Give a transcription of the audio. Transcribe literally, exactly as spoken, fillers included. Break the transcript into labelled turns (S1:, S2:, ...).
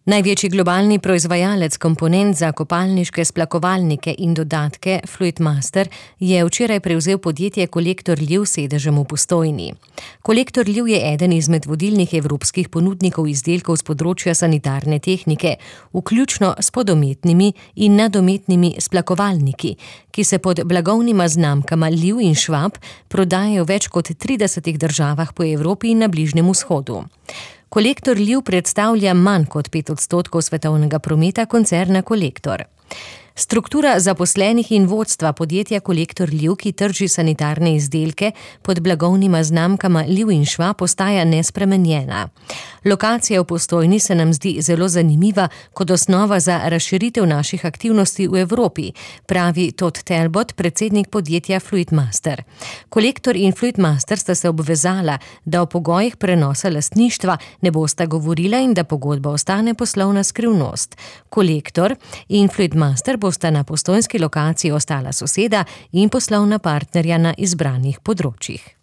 S1: Največji globalni proizvajalec komponent za kopalniške splakovalnike in dodatke Fluidmaster je včeraj prevzel podjetje Kolektor Liv s sedežem v Postojni. Kolektor Liv je eden izmed vodilnih evropskih ponudnikov izdelkov s področja sanitarne tehnike, vključno s podometnimi in nadometnimi splakovalniki, ki se pod blagovnima znamkama Liv in Schwab prodajajo v več kot tridesetih državah po Evropi in na Bližnjem vzhodu. Kolektor Liv predstavlja manj kot pet odstotkov svetovnega prometa koncerna Kolektor. Struktura zaposlenih in vodstva podjetja Kolektor Liv, ki trži sanitarne izdelke pod blagovnima znamkama Liv in Schwab, ostaja nespremenjena. Lokacija v Postojni se nam zdi zelo zanimiva kot osnova za razširitev naših aktivnosti v Evropi, pravi Todd Talbot, predsednik podjetja Fluidmaster. Kolektor in Fluidmaster sta se obvezala, da o pogojih prenosa lastništva ne bosta govorila in da pogodba ostane poslovna skrivnost. Kolektor in Fluidmaster bosta na postojnski lokaciji ostala soseda in poslovna partnerja na izbranih področjih.